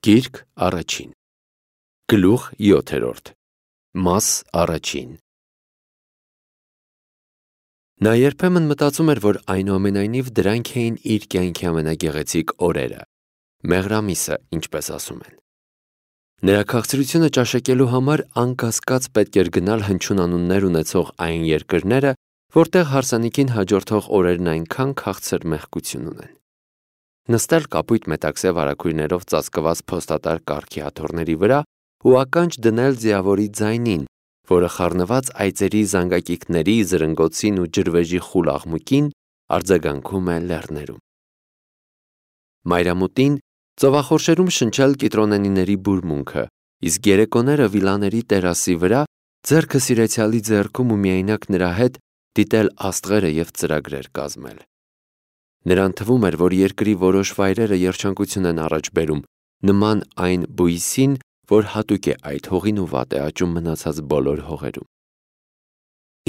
Գիրք առաջին Գլուխ 7 Մաս առաջին Նա երբեմն մտածում էր, որ այնուամենայնիվ դրանք էին իր կյանքի ամենագեղեցիկ օրերը, մեղրամիսը, ինչպես ասում են։ Նրա քաղցրությունը ճաշակելու համար անկասկած պետք էր գնալ հնչյուն անուններ ունեցող այն երկրները, որտեղ հարսանիքին հաջորդող օրերն այնքան քաղցր մեղքություն ունեն։ Նստել կապույտ մետաքսե վարագույրներով ծածկված փոստատար կառքի աթոռների վրա ու ականջ դնել ձիավորի ձայնին, որը խառնված այծերի զանգակիքների, զրնգոցին ու ջրվեժի խուլ աղմուկին արձագանքում է լեռներում։ Մայրամուտին ծովախորշերում շնչել կիտրոնենիների բուրմունքը, իսկ երեկոները վիլաների տերասի վրա ձեռքը սիրեցյալի ձեռքում ու միայնակ նրա հետ դիտել աստղերը և ծրագրեր կազմել։ Նրան թվում էր, որ երկրի որոշ վայրերը երջանկություն են առաջ բերում, նման այն բույսին, որ հատուկ է այդ հողին ու վատ է աճում մնացած բոլոր հողերում։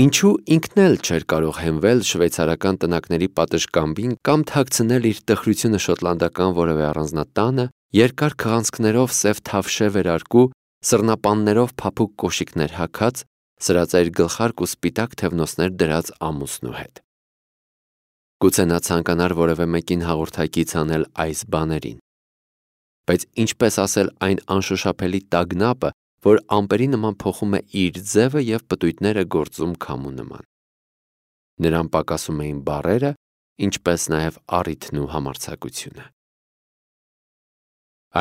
Ինչու ինքն էլ չէր կարող հենվել շվեյցարական տնակների պատշգամբին կամ թաքցնել իր տխրությունը շոտլանդական որևէ առանձնատանը, երկար քղանցքներով սև թավշե վերարկու, սռնապաններով փափուկ կոշիկներ հագած, սրածայր գլխարկ ու սպիտակ թևնոցներ դրած ամուսնու հետ։ Գուցե նա ցանկանար որևէ մեկին հաղորդակից անել այս բաներին։ Բայց ինչպես ասել այն անշոշափելի տագնապը, որ ամպերի նման փոխում է իր ձևը և պտույտները գործում քամու նման։ Նրան պակասում էին բառերը, ինչպես նաև առիթն ու համարձակությունը։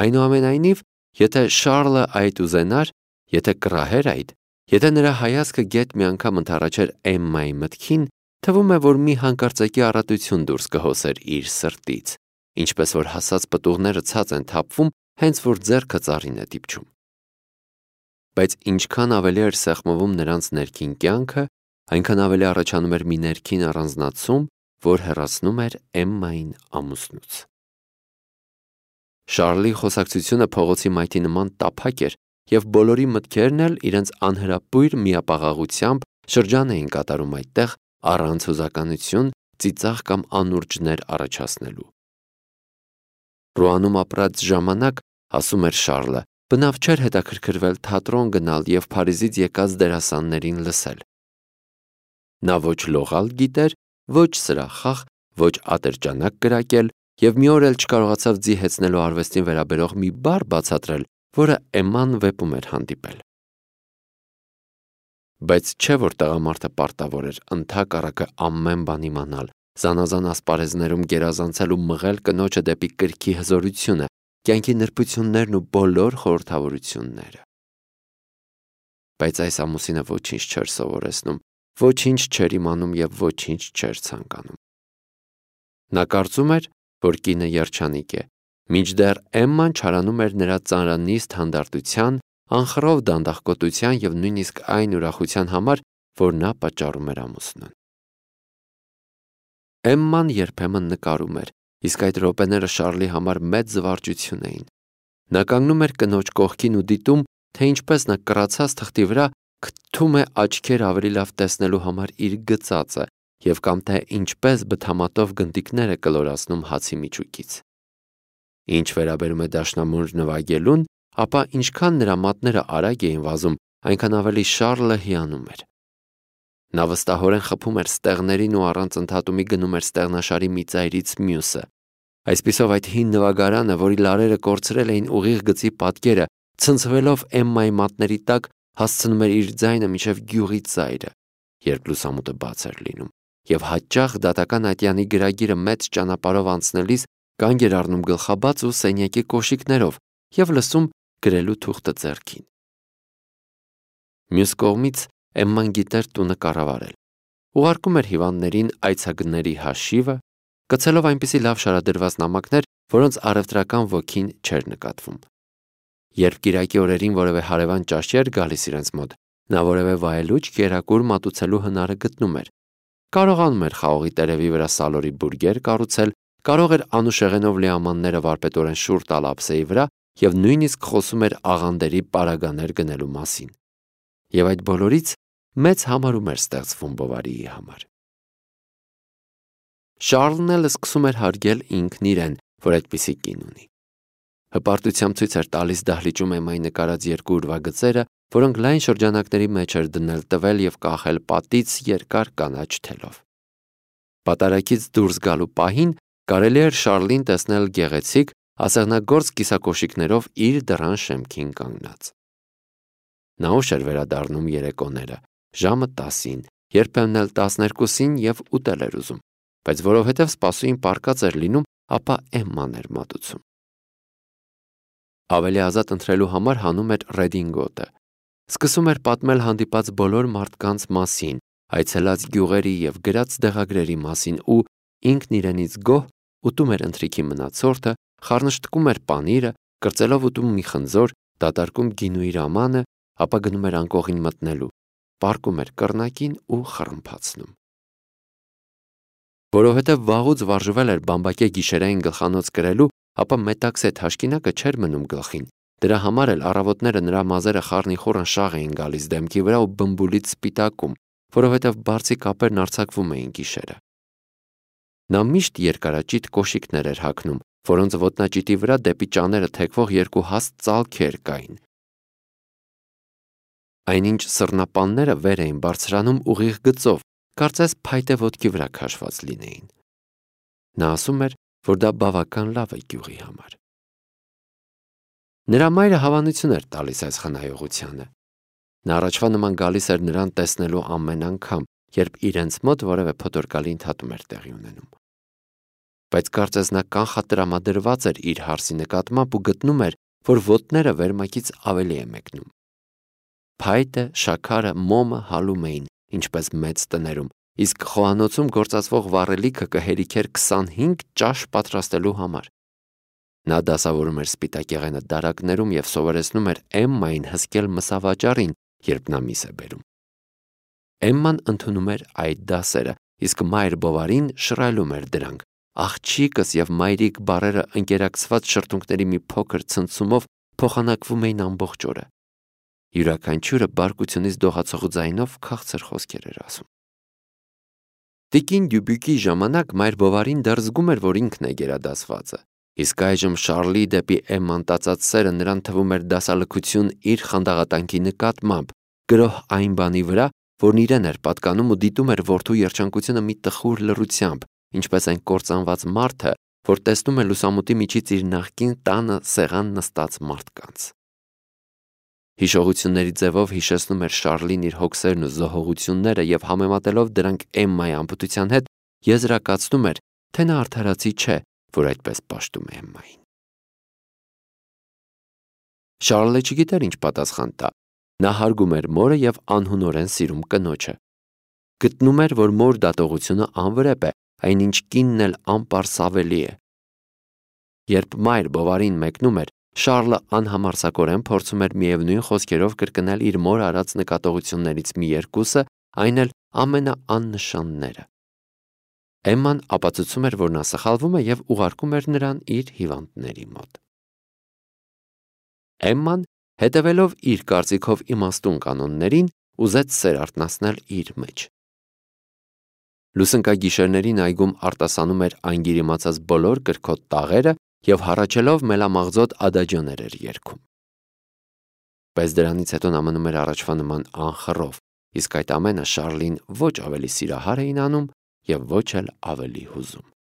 Այնուամենայնիվ, եթե Շառլը այդ ուզենար, եթե կռահեր այդ, եթե նրա հայացքը գեթ մի անգամ ընդառաջեր Էմմայի մտքին, թվում է, որ մի հանկարծակի առատություն դուրս կհոսեր իր սրտից, ինչպես որ հասած պտուղները ցած են թափվում, հենց որ ձեռքը ծառին է դիպչում։ Բայց ինչքան ավելի էր սեղմվում նրանց ներքին կյանքը, այնքան ավելի առաջանում էր մի ներքին առանձնացում, որ հեռացնում էր Էմմային ամուսնուց։ Շառլի խոսակցությունը փողոցի մայթի նման տափակ էր, և բոլորի մտքերն էլ իրենց անհրապույր միապաղաղությամբ շրջան էին կատարում այդտեղ առանց հուզականություն, ծիծաղ կամ անուրջներ առաջացնելու։ Ռուանում ապրած ժամանակ, ասում էր Շառլը, բնավ չէր հետաքրքրվել թատրոն գնալ և Փարիզից եկած դերասաններին լսել։ Նա ոչ լողալ գիտեր, ոչ սրախախ, ոչ ատրճանակ կրակել և մի օր էլ չկարողացավ ձի հեծնելու արվեստին վերաբերող մի բառ բացատրել, որը Էմման վեպում էր հանդիպել։ Բայց չէ՞ որ տղամարդը պարտավոր էր ընդհակառակը ամեն բան իմանալ, զանազան ասպարեզներում գերազանցել ու մղել կնոջը դեպի կրքի հզորությունը, կյանքի նրբություններն ու բոլոր խորհրդավորությունները։ Բայց այս ամուսինը ոչինչ չէր սովորեցնում, ոչինչ չէր իմանում և ոչինչ չէր ցանկանում։ Նա կարծում էր, որ կինը երջանիկ է, մինչդեռ Էմման չարանում էր նրա ծանրանիստ հանդարտության, անխռով դանդաղկոտության և նույնիսկ այն ուրախության համար, որ նա պատճառում էր ամուսնուն։ Էմման երբեմն նկարում էր, իսկ այդ րոպեները Շառլի համար մեծ զվարճություն էին։ Նա կանգնում էր կնոջ կողքին ու դիտում, թե ինչպես նա կռացած թղթի վրա քթում է աչքեր ավելի լավ տեսնելու համար իր գծածը և կամ թե ինչպես բթամատով գնդիկներ է կլորացնում հացի միջուկից։ Ինչ վերաբերում է դաշնամուր նվագելուն, ապա ինչքան նրա մատները արագ էին վազում, այնքան ավելի Շառլը հիանում էր։ Նա վստահորեն խփում էր ստեղներին ու առանց ընդհատումի գնում էր ստեղնաշարի մի ծայրից մյուսը։ Այսպիսով այդ հին նվագարանը, որի լարերը կորցրել էին ուղիղ գծի պատկերը, ցնցվելով Էմմայի մատների տակ, հասցնում էր իր ձայնը մինչև գյուղի ծայրը, երբ լուսամուտը բաց էր լինում, և հաճախ դատական ատյանի գրագիրը մեծ ճանապարհով անցնելիս կանգ էր առնում գլխաբաց ու սենյակի կոշիկներով և լսում գրելու թուղթը ձեռքին։ Մյուս կողմից Էմման գիտեր տունը կառավարել։ Ուղարկում էր հիվանդներին այցագների հաշիվը, գցելով այնպիսի լավ շարադրված նամակներ, որոնց առևտրական ոգին չէր նկատվում։ Երբ կիրակի օրերին որևէ հարևան ճաշի էր գալիս իրենց մոտ, նա որևէ վայելուչ կերակուր մատուցելու հնարը գտնում էր։ Կարողանում էր խաղողի տերևի վրա սալորի բուրգեր կառուցել, կարող էր անուշեղենով լիամանները վարպետորեն շուռ տալ ափսեի վրա և նույնիսկ խոսում էր աղանդերի պարագաներ գնելու մասին։ Եվ այդ բոլորից մեծ համարում էր ստեղծվում Բովարիի համար։ Շառլն էլ սկսում էր հարգել ինքն իրեն, որ այդպիսի կին ունի։ Հպարտությամբ ցույց էր տալիս դահլիճում Էմմայի նկարած երկու ուրվագծերը, որոնք լայն շրջանակների մեջ էր դնել տվել եւ կախել պատից երկար կանաչ թելով։ Պատարագից դուրս գալու պահին կարելի էր Շառլին տեսնել գեղեցիկ, ասեղնագործ կիսակոշիկներով իր դռան շեմքին կանգնած։ Նա ուշ էր վերադառնում երեկոները, ժամը 10-ին, երբեմն էլ 12-ին եւ ուտել էր ուզում, բայց որովհետեւ սպասուին պառկած էր լինում, ապա Էմման էր մատուցում։ Ավելի ազատ ընտրելու համար հանում էր ռեդինգոտը։ Սկսում էր պատմել հանդիպած բոլոր մարդկանց մասին, այցելած գյուղերի եւ գրած դեղագրերի մասին ու ինքն իրենից գոհ ուտում էր ընթրիքի մնացորդը, խառնշտկում էր պանիրը, կրծելով ուտում մի խնձոր, դատարկում գինու իր ամանը, ապա գնում էր անկողին մտնելու, պառկում էր կռնակին ու խռմփացնում։ Որովհետև վաղուց վարժվել էր բամբակե գիշերային գլխանոց կրելու, ապա մետաքսե թաշկինակը չէր մնում գլխին։ Դրա համար էլ առավոտները նրա մազերը խառնիխուռն շաղ էին գալիս դեմքի վրա ու բմբուլից սպիտակում, որովհետև բարձիկ ափերն արձակվում էին գիշերը։ Նա միշտ երկարաճիտ կոշիկներ էր հագնում, որոնց ոտնաճիտի վրա դեպի ճաները թեքվող երկու հաստ ծալքեր կային։ Այնինչ սռնապանները վեր էին բարձրանում ուղիղ գծով, կարծես փայտե ոտքի վրա քաշված լինեին։ Նա ասում էր, որ դա բավական լավ է գյուղի համար։ Նրա մայրը հավանություն էր տալիս այս խնայողությանը։ Նա առաջվա նման գալիս էր նրան տեսնելու ամեն անգամ, երբ իրենց մոտ որևէ փոթորկալի ընդհատում էր տեղի ունենում։ Բայց կարծես նա կանխատրամադրված էր իր հարսի նկատմամբ ու գտնում էր, որ ոտները վերմակից ավելի է մեկնում։ Փայտը, շաքարը, մոմը հալում էին, ինչպես մեծ տներում, իսկ խոհանոցում գործածվող վառելիքը կհերիքեր 25 ճաշ պատրաստելու համար։ Նա դասավորում էր սպիտակեղենը դարակներում եւ սովորեցնում էր Էմմային հսկել մսավաճառին, երբ նա միս է բերում։ Էմման ընդունում էր այդ դասերը, իսկ մայր Բովարին շռայլում էր դրանք։ Աղջիկս եւ մայրիկ բառերը ընկերակցված շրթունքների մի փոքր ցնցումով փոխանակվում էին ամբողջ օրը։ Յուրաքանչյուրը բարկությունից դողացող ձայնով քաղցր խոսքեր էր ասում։ Տիկին Դյուբյուկի ժամանակ մայր Բովարին դեռ զգում էր, որ ինքն է գերադասվածը, իսկ այժմ Շառլի դեպի Էմման տածած սերը նրան թվում էր դասալքություն իր խանդաղատանքի նկատմամբ, գրոհ այն բանի վրա, որն իրեն էր պատկանում ու դիտում էր որդու երջանկությունը մի տխուր լռությամբ, ինչպես այն կործանված մարդը, որ տեսնում է լուսամուտի միջից իր նախկին տանը սեղան նստած մարդկանց։ Հիշողությունների ձևով հիշեցնում էր Շառլին իր հոգսերն ու զոհողությունները եւ համեմատելով դրանք Էմմայի անպտության հետ, եզրակացնում էր, թե նա արդարացի չէ, որ այդպես պաշտում է Էմմային։ Շառլը չգիտեր ինչ պատասխան տա։ Նա հարգում էր մորը եւ անհունորեն սիրում կնոջը։ Գտնում էր, որ մոր դատողությունը անվրեպ է, այնինչ կինն էլ անպարսավելի է։ Երբ մայր Բովարին մեկնում էր, Շառլը անհամարձակորեն փորձում էր միևնույն խոսքերով կրկնել իր մոր արած նկատողություններից մի երկուսը, այն էլ ամենաաննշանները։ Էմման ապացուցում էր, որ նա սխալվում է եւ ուղարկում էր նրան իր հիվանդների մոտ։ Էմման, հետևելով իր կարծիքով իմաստուն կանոններին, ուզեց սեր արթնացնել իր մեջ։ Լուսնկագիշերներին այգում արտասանում էր անգիրիմացած բոլոր կրքոտ տաղերը եւ հառաչելով մելամաղձոտ ադաջոներ էր երգում։ Բայց դրանից հետո նա մնում էր առաջվա նման անխռով, իսկ այդ ամենը Շառլին ոչ ավելի սիրահար էին անում եւ ոչ էլ ավելի հուզում։